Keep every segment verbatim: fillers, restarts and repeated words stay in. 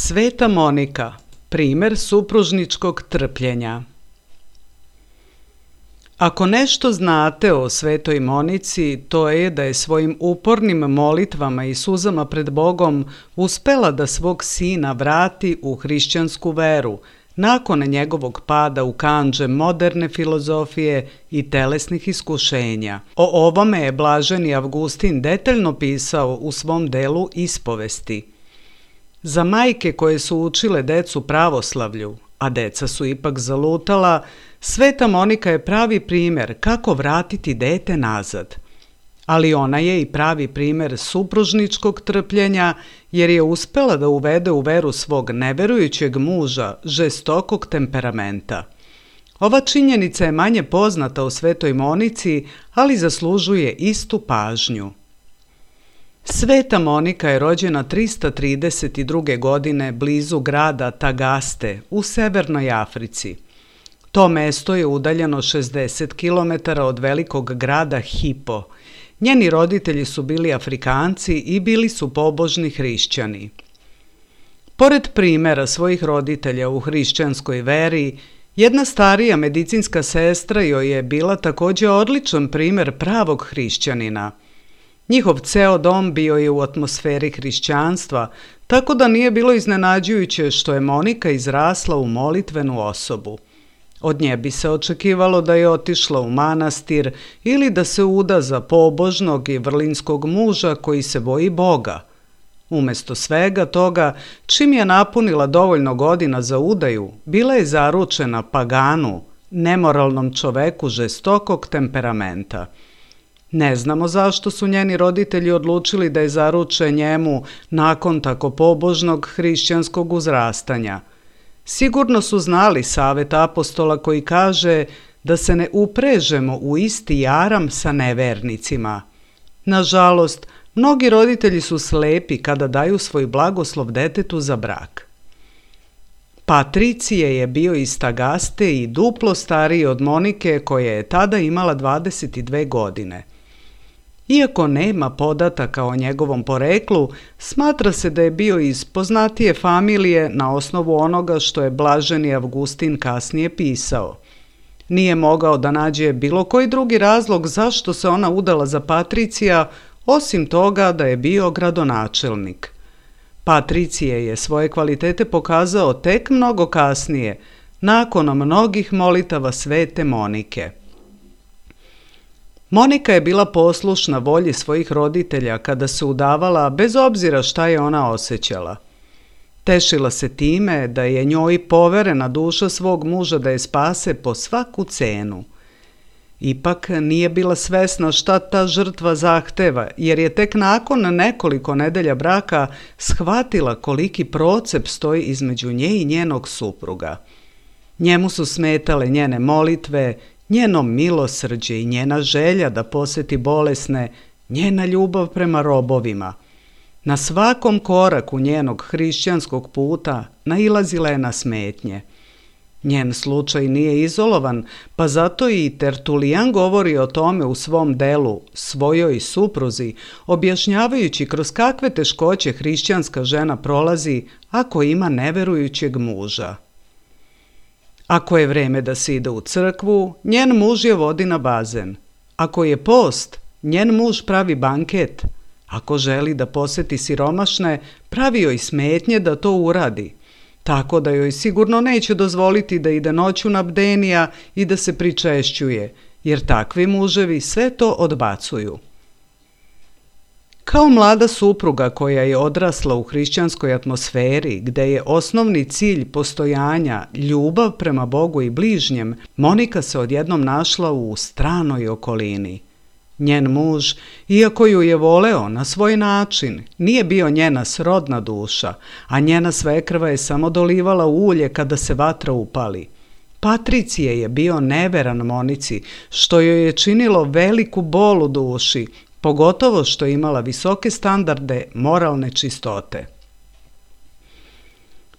Sveta Monika, primer supružničkog trpljenja. Ako nešto znate o Svetoj Monici, to je da je svojim upornim molitvama i suzama pred Bogom uspela da svog sina vrati u hrišćansku veru, nakon njegovog pada u kandže moderne filozofije i telesnih iskušenja. O ovome je blaženi Avgustin detaljno pisao u svom delu Ispovesti. Za majke koje su učile decu pravoslavlju, a deca su ipak zalutala, Sveta Monika je pravi primer kako vratiti dete nazad. Ali ona je i pravi primer supružničkog trpljenja, jer je uspela da uvede u veru svog neverujućeg muža žestokog temperamenta. Ova činjenica je manje poznata o Svetoj Monici, ali zaslužuje istu pažnju. Sveta Monika je rođena trista trideset druge. godine blizu grada Tagaste u Severnoj Africi. To mesto je udaljeno šezdeset kilometara od velikog grada Hipo. Njeni roditelji su bili Afrikanci i bili su pobožni hrišćani. Pored primera svojih roditelja u hrišćanskoj veri, jedna starija medicinska sestra joj je bila također odličan primer pravog hrišćanina. Njihov ceo dom bio je u atmosferi hrišćanstva, tako da nije bilo iznenađujuće što je Monika izrasla u molitvenu osobu. Od nje bi se očekivalo da je otišla u manastir ili da se uda za pobožnog i vrlinskog muža koji se boji Boga. Umesto svega toga, čim je napunila dovoljno godina za udaju, bila je zaručena paganu, nemoralnom čoveku žestokog temperamenta. Ne znamo zašto su njeni roditelji odlučili da je zaruče njemu nakon tako pobožnog hrišćanskog uzrastanja. Sigurno su znali savet apostola koji kaže da se ne uprežemo u isti jaram sa nevernicima. Nažalost, mnogi roditelji su slepi kada daju svoj blagoslov detetu za brak. Patricije je bio iz Tagaste i duplo stariji od Monike koja je tada imala dvadeset dve godine. Iako nema podataka o njegovom poreklu, smatra se da je bio iz poznatije familije na osnovu onoga što je blaženi Avgustin kasnije pisao. Nije mogao da nađe bilo koji drugi razlog zašto se ona udala za Patricija, osim toga da je bio gradonačelnik. Patricije je svoje kvalitete pokazao tek mnogo kasnije, nakon mnogih molitava svete Monike. Monika je bila poslušna volji svojih roditelja kada se udavala, bez obzira šta je ona osjećala. Tešila se time da je njoj poverena duša svog muža da je spase po svaku cenu. Ipak nije bila svesna šta ta žrtva zahteva, jer je tek nakon nekoliko nedelja braka shvatila koliki procep stoji između nje i njenog supruga. Njemu su smetale njene molitve, njeno milosrđe i njena želja da poseti bolesne, njena ljubav prema robovima. Na svakom koraku njenog hrišćanskog puta nailazila je na smetnje. Njen slučaj nije izolovan, pa zato i Tertulijan govori o tome u svom delu Svojoj supruzi, objašnjavajući kroz kakve teškoće hrišćanska žena prolazi ako ima neverujućeg muža. Ako je vreme da se ide u crkvu, njen muž je vodi na bazen. Ako je post, njen muž pravi banket. Ako želi da poseti siromašne, pravi joj smetnje da to uradi. Tako da joj sigurno neće dozvoliti da ide noću na bdenija i da se pričešćuje, jer takvi muževi sve to odbacuju. Kao mlada supruga koja je odrasla u hrišćanskoj atmosferi, gde je osnovni cilj postojanja ljubav prema Bogu i bližnjem, Monika se odjednom našla u stranoj okolini. Njen muž, iako ju je voleo na svoj način, nije bio njena srodna duša, a njena svekrva je samo dolivala ulje kada se vatra upali. Patricije je bio neveran Monici, što joj je činilo veliku bol u duši, pogotovo što je imala visoke standarde moralne čistote.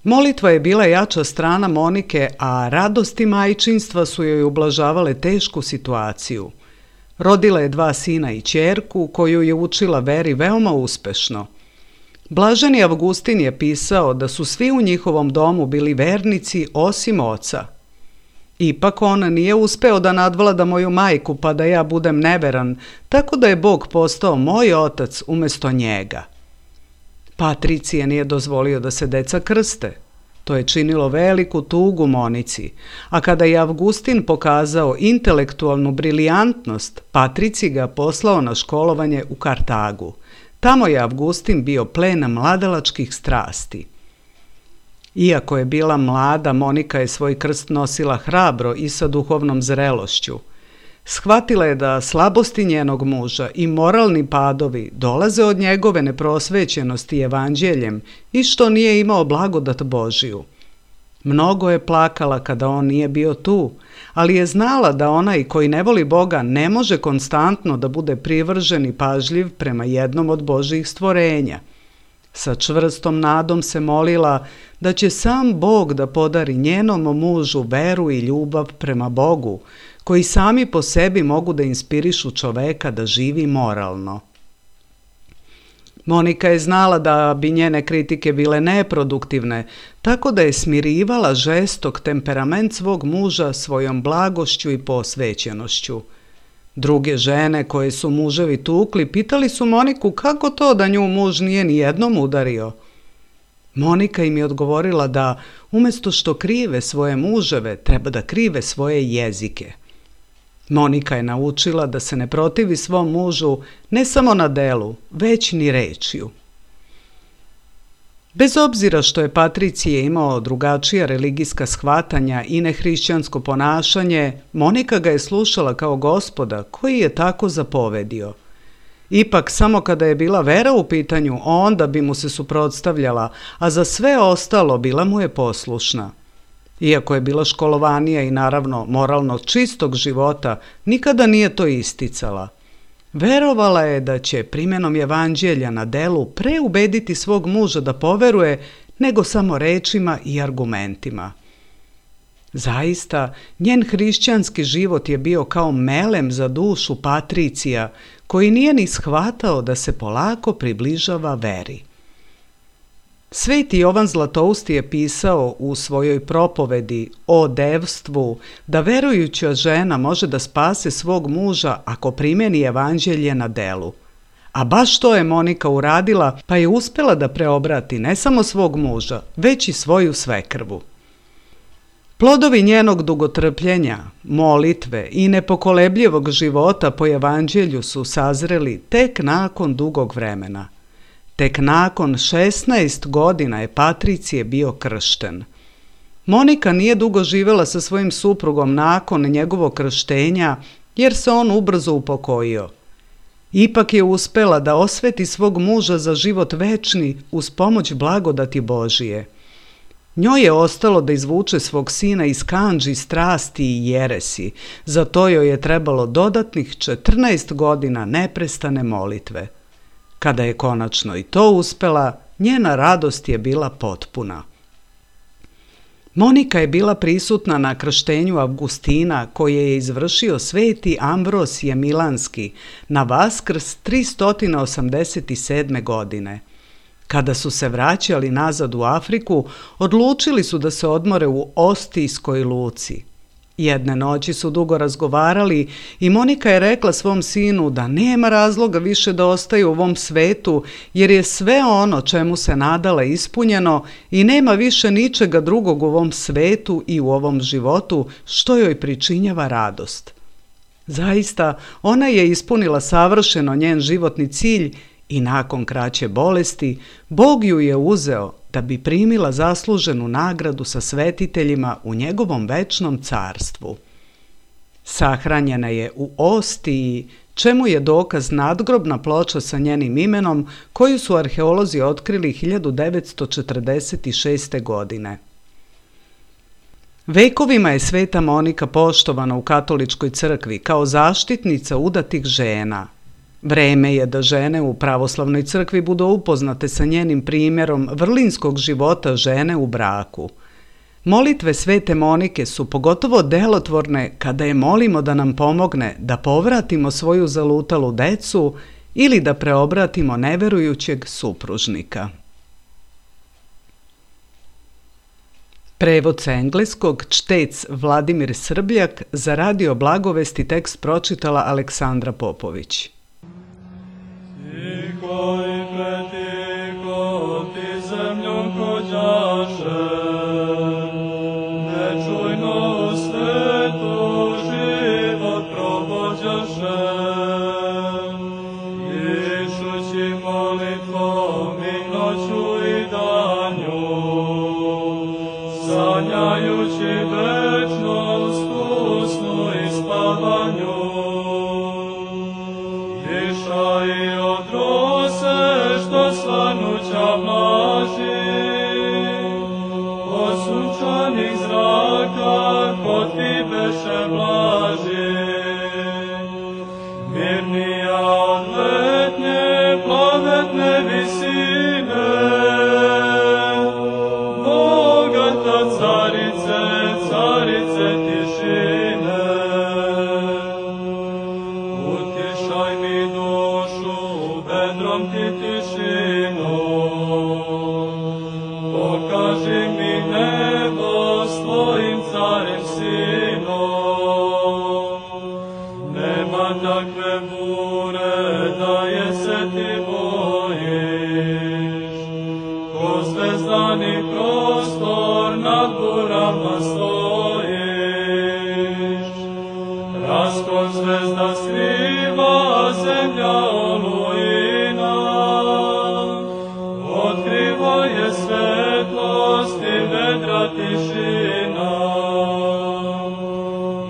Molitva je bila jača strana Monike, a radosti majčinstva su joj ublažavale tešku situaciju. Rodila je dva sina i ćerku koju je učila veri veoma uspešno. Blaženi Avgustin je pisao da su svi u njihovom domu bili vernici osim oca. Ipak on nije uspeo da nadvlada moju majku pa da ja budem neveran, tako da je Bog postao moj otac umesto njega. Patricije nije dozvolio da se deca krste. To je činilo veliku tugu Monici, a kada je Avgustin pokazao intelektualnu brilijantnost, Patrici ga poslao na školovanje u Kartagu. Tamo je Avgustin bio plen mladalačkih strasti. Iako je bila mlada, Monika je svoj krst nosila hrabro i sa duhovnom zrelošću. Shvatila je da slabosti njenog muža i moralni padovi dolaze od njegove neprosvećenosti evanđeljem i što nije imao blagodat Božiju. Mnogo je plakala kada on nije bio tu, ali je znala da onaj koji ne voli Boga ne može konstantno da bude privržen i pažljiv prema jednom od Božjih stvorenja. Sa čvrstom nadom se molila da će sam Bog da podari njenom mužu veru i ljubav prema Bogu, koji sami po sebi mogu da inspirišu čoveka da živi moralno. Monika je znala da bi njene kritike bile neproduktivne, tako da je smirivala žestok temperament svog muža svojom blagošću i posvećenošću. Druge žene koje su muževi tukli pitali su Moniku kako to da nju muž nije ni jednom udario. Monika im je odgovorila da umjesto što krive svoje muževe, treba da krive svoje jezike. Monika je naučila da se ne protivi svom mužu ne samo na delu, već ni rečju. Bez obzira što je Patricije imao drugačija religijska shvatanja i nehrišćansko ponašanje, Monika ga je slušala kao Gospoda koji je tako zapovedio. Ipak samo kada je bila vera u pitanju, onda bi mu se suprotstavljala, a za sve ostalo bila mu je poslušna. Iako je bila školovanija i naravno moralno čistog života, nikada nije to isticala. Verovala je da će primjenom evanđelja na delu pre ubediti svog muža da poveruje nego samo rečima i argumentima. Zaista, njen hrišćanski život je bio kao melem za dušu Patricija, koji nije ni shvatao da se polako približava veri. Sveti Jovan Zlatousti je pisao u svojoj propovedi o devstvu da verujuća žena može da spase svog muža ako primeni evanđelje na delu. A baš to je Monika uradila, pa je uspela da preobrati ne samo svog muža, već i svoju svekrvu. Plodovi njenog dugotrpljenja, molitve i nepokolebljivog života po evanđelju su sazreli tek nakon dugog vremena. Tek nakon šesnaest godina je Patricije bio kršten. Monika nije dugo živela sa svojim suprugom nakon njegovog krštenja, jer se on ubrzo upokojio. Ipak je uspela da osveti svog muža za život večni uz pomoć blagodati Božije. Njoj je ostalo da izvuče svog sina iz kandži, strasti i jeresi, za to joj je trebalo dodatnih četrnaest godina neprestane molitve. Kada je konačno i to uspela, njena radost je bila potpuna. Monika je bila prisutna na krštenju Avgustina koje je izvršio sveti Ambrosije Milanski na Vaskrs tristo osamdeset sedme. godine. Kada su se vraćali nazad u Afriku, odlučili su da se odmore u Ostijskoj luci. Jedne noći su dugo razgovarali i Monika je rekla svom sinu da nema razloga više da ostaju u ovom svetu, jer je sve ono čemu se nadala ispunjeno i nema više ničega drugog u ovom svetu i u ovom životu što joj pričinjava radost. Zaista, ona je ispunila savršeno njen životni cilj i nakon kraće bolesti Bog ju je uzeo da bi primila zasluženu nagradu sa svetiteljima u njegovom večnom carstvu. Sahranjena je u Ostiji, čemu je dokaz nadgrobna ploča sa njenim imenom koju su arheolozi otkrili hiljadu devetsto četrdeset šeste. godine. Vekovima je sveta Monika poštovana u katoličkoj crkvi kao zaštitnica udatih žena. Vreme je da žene u pravoslavnoj crkvi budu upoznate sa njenim primjerom vrlinskog života žene u braku. Molitve svete Monike su pogotovo delotvorne kada je molimo da nam pomogne da povratimo svoju zalutalu decu ili da preobratimo neverujućeg supružnika. Prevod sa engleskog čtec Vladimir Srbljak, za Radio Blagovesti tekst pročitala Aleksandra Popović. Tiho i pretiho ti zemljom hođaše, nečujno u svetu život provođaše. Išući molitvom i noću i danju, sanjajući večnost u snu i spavanju. Dišaj od rose što svanuća mlaži, od sunčanih zraka kod ti beše blaži. Mirnija od letnje plavetne visine, bogata carice, carice tišine. Utišaj mi dušu, bedrom ti tišinu, pokaži mi nebo s tvojim carem sinom. Nema takve bure da je se ti bojiš, ko zvezdani prostor nad burama stojiš. Raskon zvezda skriva zemlja olujina, otkriva je svetlost i vedra tišina.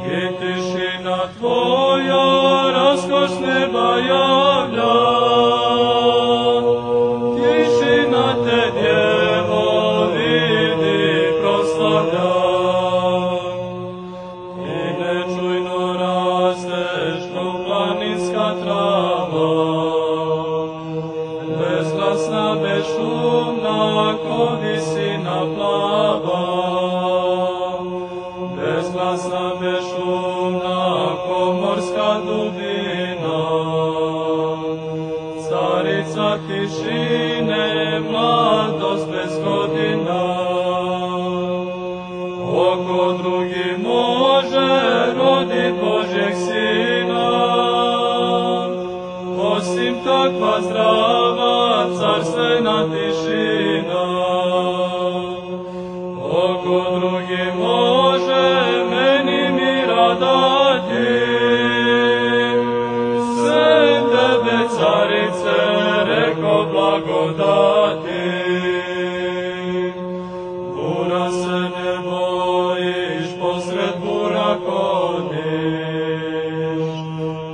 I tišina tvoja raskoš neba javlja, tišina te djevo vidi proslavlja. I nečujno rasteš ko planinska trava, bezglasna, bezšumna, ko visina plava. Bezglasna, bezšumna, ko morska dubina. Carica tišine, mladost bez godina. Oko drugi može rodit Božjeg Sina, osim takva zdrava carstvena tišina. Oko drugi može meni mira dati, sve tebe carice reko blagodati. Bura se ne bojiš, posred bura hodiš,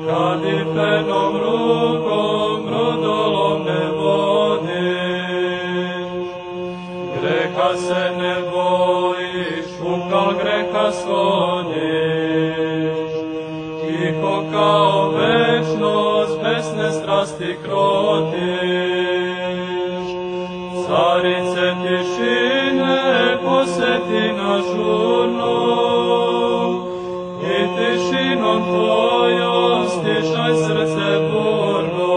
kad i penom rukom brodolom ne vodiš. Greha se ne bojiš, ukal greha shodiš, tiho kao večnost besne strasti krotiš. Carice tišine poseti na žurnu, i tišinom tvojom stišaj srce burno.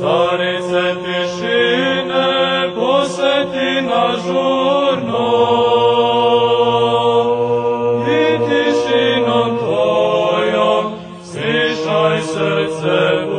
Carice tišine poseti na žurnu, i tišinom tvojom stišaj srce burno.